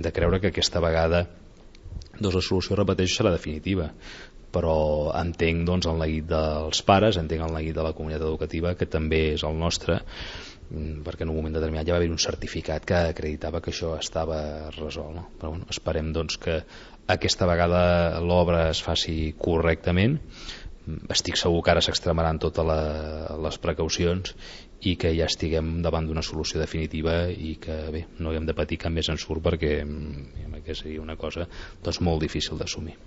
de creure que aquesta vegada la solució, repeteixo, serà definitiva, però entenc el neguit dels pares, entenc el neguit de la comunitat educativa, que també és el nostre, perquè en un moment determinat ja va haver un certificat que acreditava que això estava resolt, no? Però bueno, esperem que aquesta vegada l'obra es faci correctament. Estic segur que ara s'extremaran totes les precaucions i que ja estiguem davant d'una solució definitiva i que bé, no haguem de patir cap més ensurt, perquè seria una cosa molt difícil d'assumir.